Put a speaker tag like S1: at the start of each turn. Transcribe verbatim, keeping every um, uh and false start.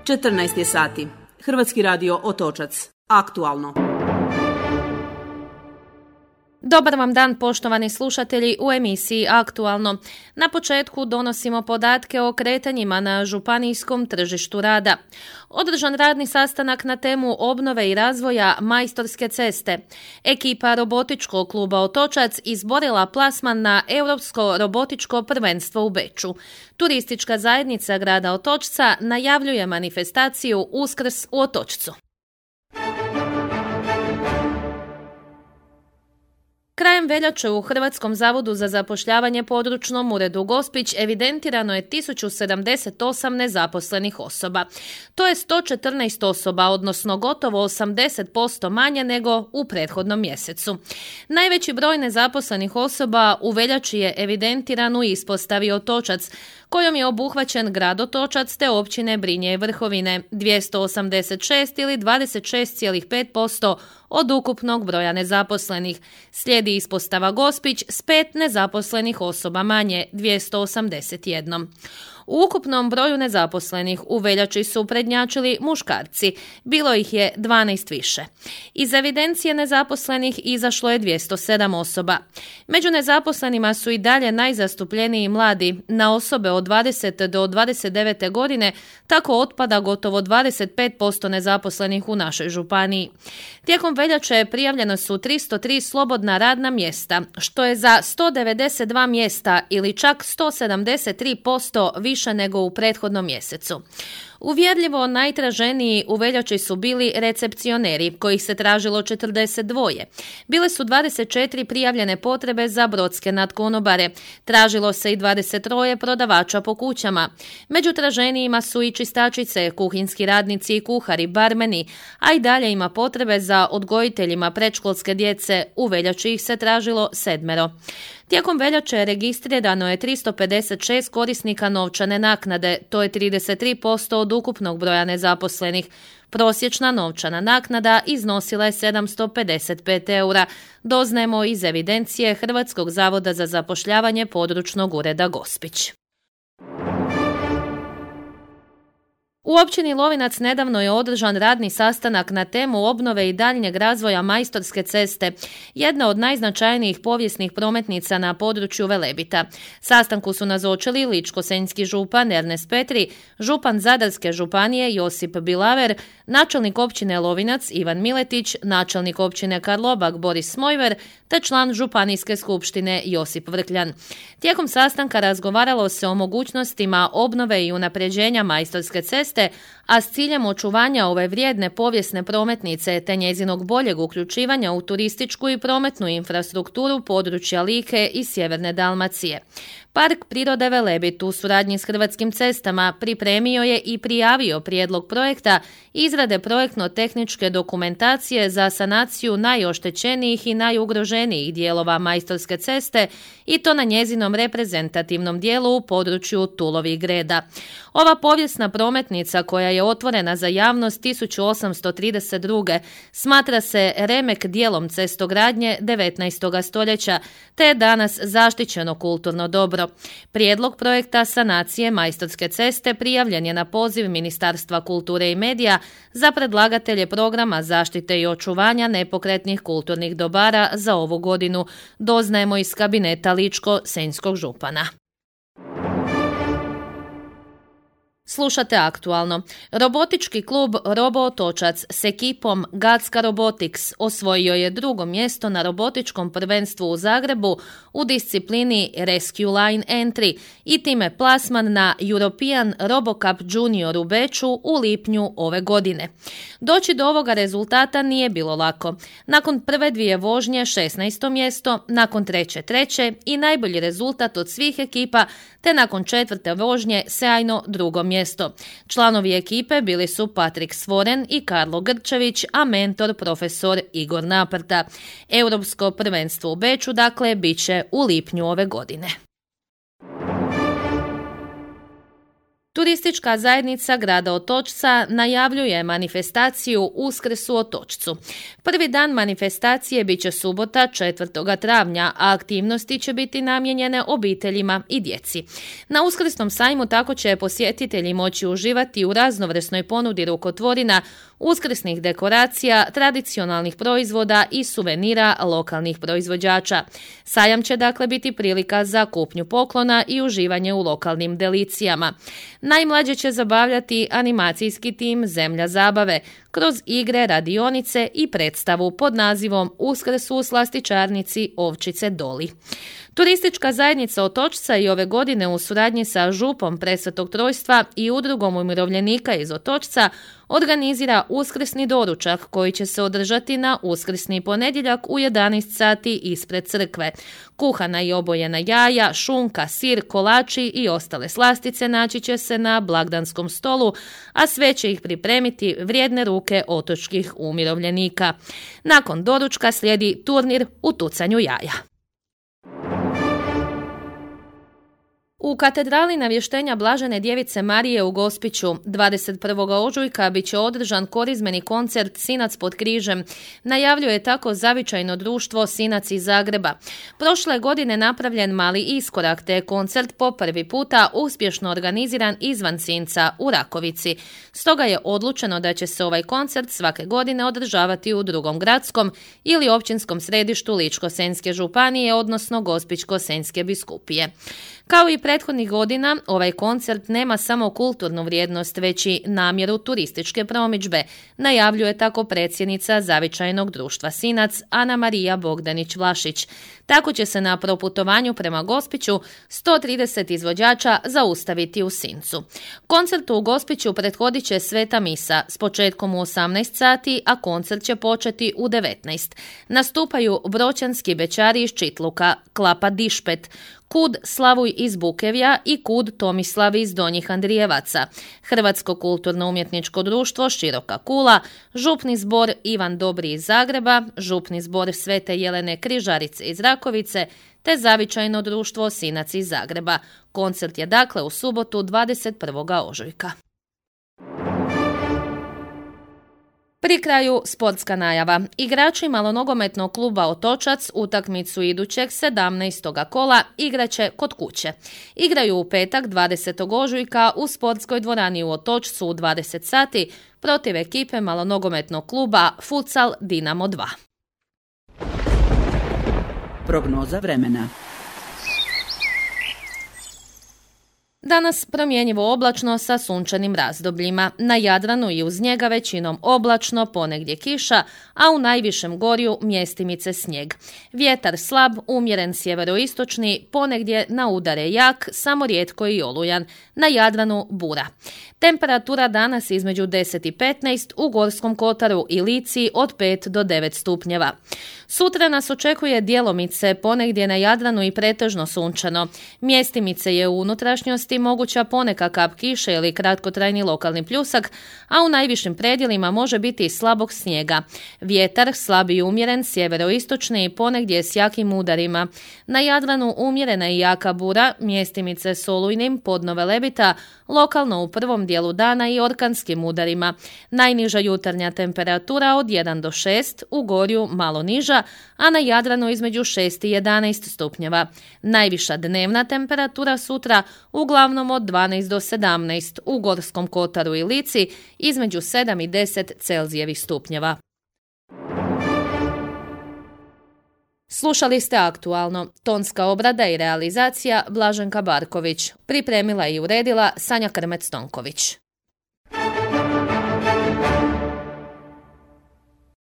S1: četrnaest je sati. Hrvatski radio Otočac. Aktualno.
S2: Dobar vam dan, poštovani slušatelji, u emisiji Aktualno. Na početku donosimo podatke o kretanjima na županijskom tržištu rada. Održan radni sastanak na temu obnove i razvoja Majstorske ceste. Ekipa robotičkog kluba Otočac izborila plasman na Europsko robotičko prvenstvo u Beču. Turistička zajednica grada Otočca najavljuje manifestaciju Uskrs u Otočcu. Krajem veljače u Hrvatskom zavodu za zapošljavanje područnom uredu Gospić evidentirano je tisuću sedamdeset osam nezaposlenih osoba. To je sto četrnaest osoba, odnosno gotovo osamdeset posto manje nego u prethodnom mjesecu. Najveći broj nezaposlenih osoba u veljači je evidentiran u ispostavi Otočac, kojom je obuhvaćen grad Otočac te općine Brinje i Vrhovine, dvjesto osamdeset šest ili dvadeset šest zarez pet posto od ukupnog broja nezaposlenih. Slijedi ispostava Gospić s pet nezaposlenih osoba manje, dvjesto osamdeset jedan. U ukupnom broju nezaposlenih u veljači su prednjačili muškarci, bilo ih je dvanaest više. Iz evidencije nezaposlenih izašlo je dvjesto sedam osoba. Među nezaposlenima su i dalje najzastupljeniji mladi, na osobe od dvadeset do dvadeset devete godine, tako otpada gotovo dvadeset pet posto nezaposlenih u našoj županiji. Tijekom veljače prijavljeno su tristo tri slobodna radna mjesta, što je za sto devedeset dva mjesta ili čak sto sedamdeset tri posto više nego u prethodnom mjesecu. Uvjerljivo najtraženiji u veljači su bili recepcioneri, kojih se tražilo četrdeset dva. Bile su dvadeset četiri prijavljene potrebe za brodske nadkonobare. Tražilo se i dvadeset tri prodavača po kućama. Među traženijima su i čistačice, kuhinski radnici i kuhari, barmeni, a i dalje ima potrebe za odgojiteljima predškolske djece. U veljači ih se tražilo sedmero. Tijekom veljače registrirano je tristo pedeset šest korisnika novčane naknade, to je trideset tri posto od ukupnog broja nezaposlenih. Prosječna novčana naknada iznosila je sedamsto pedeset pet eura, doznajemo iz evidencije Hrvatskog zavoda za zapošljavanje područnog ureda Gospić. U općini Lovinac nedavno je održan radni sastanak na temu obnove i daljnjeg razvoja Majstorske ceste, jedna od najznačajnijih povijesnih prometnica na području Velebita. Sastanku su nazočili ličko-senjski župan Ernest Petri, župan Zadarske županije Josip Bilaver, načelnik općine Lovinac Ivan Miletić, načelnik općine Karlobag Boris Smojver te član županijske skupštine Josip Vrkljan. Tijekom sastanka razgovaralo se o mogućnostima obnove i unapređenja Majstorske ceste, a s ciljem očuvanja ove vrijedne povijesne prometnice te njezinog boljeg uključivanja u turističku i prometnu infrastrukturu područja Like i sjeverne Dalmacije. Park prirode Velebit u suradnji s Hrvatskim cestama pripremio je i prijavio prijedlog projekta izrade projektno-tehničke dokumentacije za sanaciju najoštećenijih i najugroženijih dijelova Majstorske ceste i to na njezinom reprezentativnom dijelu u području Tulovih Greda. Ova povijesna prometnica koja je otvorena za javnost tisuću osamsto trideset druge smatra se remek dijelom cestogradnje devetnaestog stoljeća te je danas zaštićeno kulturno dobro. Prijedlog projekta sanacije Majstorske ceste prijavljen je na poziv Ministarstva kulture i medija za predlagatelje programa zaštite i očuvanja nepokretnih kulturnih dobara za ovu godinu, doznajemo iz kabineta ličko-senjskog župana. Slušate Aktualno. Robotički klub Robo Otočac s ekipom Gatska Robotics osvojio je drugo mjesto na robotičkom prvenstvu u Zagrebu u disciplini Rescue Line Entry i time plasman na European RoboCup Junior u Beču u lipnju ove godine. Doći do ovoga rezultata nije bilo lako. Nakon prve dvije vožnje šesnaesto mjesto, nakon treće treće i najbolji rezultat od svih ekipa, te nakon četvrte vožnje sjajno drugo mjesto. Članovi ekipe bili su Patrik Svoren i Karlo Grčević, a mentor profesor Igor Naprta. Europsko prvenstvo u Beču, dakle, bit će u lipnju ove godine. Turistička zajednica grada Otočca najavljuje manifestaciju Uskrs u Otočcu. Prvi dan manifestacije bit će subota četvrtog travnja, a aktivnosti će biti namijenjene obiteljima i djeci. Na Uskrsnom sajmu tako će posjetitelji moći uživati u raznovrsnoj ponudi rukotvorina, uskrsnih dekoracija, tradicionalnih proizvoda i suvenira lokalnih proizvođača. Sajam će dakle biti prilika za kupnju poklona i uživanje u lokalnim delicijama. Najmlađe će zabavljati animacijski tim Zemlja zabave kroz igre, radionice i predstavu pod nazivom Uskrs u slastičarnici Ovčice Doli. Turistička zajednica Otočca i ove godine u suradnji sa župom Presvetog Trojstva i udrugom umirovljenika iz Otočca organizira uskrsni doručak koji će se održati na uskrsni ponedjeljak u jedanaest sati ispred crkve. Kuhana i obojena jaja, šunka, sir, kolači i ostale slastice naći će se na blagdanskom stolu, a sve će ih pripremiti vrijedne ruke otočkih umirovljenika. Nakon doručka slijedi turnir u tucanju jaja. U katedrali Navještenja Blažene Djevice Marije u Gospiću dvadeset prvog ožujka bit će održan korizmeni koncert Sinac pod križem. Najavljuje tako zavičajno društvo Sinac iz Zagreba. Prošle godine napravljen mali iskorak, te je koncert po prvi puta uspješno organiziran izvan Sinca u Rakovici. Stoga je odlučeno da će se ovaj koncert svake godine održavati u drugom gradskom ili općinskom središtu Ličko-senjske županije, odnosno Gospićko-senjske biskupije. Kao i prethodnih godina, ovaj koncert nema samo kulturnu vrijednost, već i namjeru turističke promidžbe, najavljuje tako predsjednica Zavičajnog društva Sinac Ana Marija Bogdanić-Vlašić. Tako će se na proputovanju prema Gospiću sto trideset izvođača zaustaviti u Sincu. Koncertu u Gospiću prethodit će sveta misa s početkom u osamnaest sati, a koncert će početi u devetnaest. Nastupaju broćanski bećari iz Čitluka, Klapa Dišpet, Kud Slavuj iz Bukevja i Kud Tomislav iz Donjih Andrijevaca, Hrvatsko kulturno-umjetničko društvo Široka Kula, Župni zbor Ivan Dobri iz Zagreba, Župni zbor Svete Jelene Križarice iz Rakovice, te Zavičajno društvo Sinac iz Zagreba. Koncert je dakle u subotu dvadeset prvog ožujka. Pri kraju sportska najava. Igrači malonogometnog kluba Otočac utakmicu idućeg sedamnaestog kola igraće kod kuće. Igraju u petak dvadesetog ožujka u sportskoj dvorani u Otočcu u dvadeset sati protiv ekipe malonogometnog kluba Futsal Dinamo dva.
S1: Prognoza vremena.
S2: Danas promjenjivo oblačno sa sunčanim razdobljima. Na Jadranu i uz njega većinom oblačno, ponegdje kiša, a u najvišem gorju mjestimice snijeg. Vjetar slab, umjeren sjeveroistočni, ponegdje na udare jak, samo rijetko i olujan. Na Jadranu bura. Temperatura danas između deset i petnaest, u Gorskom kotaru i Lici od pet do devet stupnjeva. Sutra nas očekuje djelomice, ponegdje na Jadranu i pretežno sunčano. Mjestimice je u unutrašnjosti moguća poneka kap kiše ili kratkotrajni lokalni pljusak, a u najvišim predjelima može biti i slabog snijega. Vjetar slab i umjeren sjeveroistočni i ponegdje s jakim udarima. Na Jadranu umjerena i jaka bura, mjestimice s olujnim, podno Velebita, lokalno u prvom dijelu dana i orkanskim udarima. Najniža jutarnja temperatura od jedan do šest, u Gorju malo niža, a na Jadranu između šest i jedanaest stupnjeva. Najviša dnevna temperatura sutra uglavnom od dvanaest do sedamnaest, u Gorskom kotaru i Lici između sedam i deset Celzijevih stupnjeva. Slušali ste Aktualno. Tonska obrada i realizacija Blaženka Barković. Pripremila i uredila Sanja Krmec-Tonković.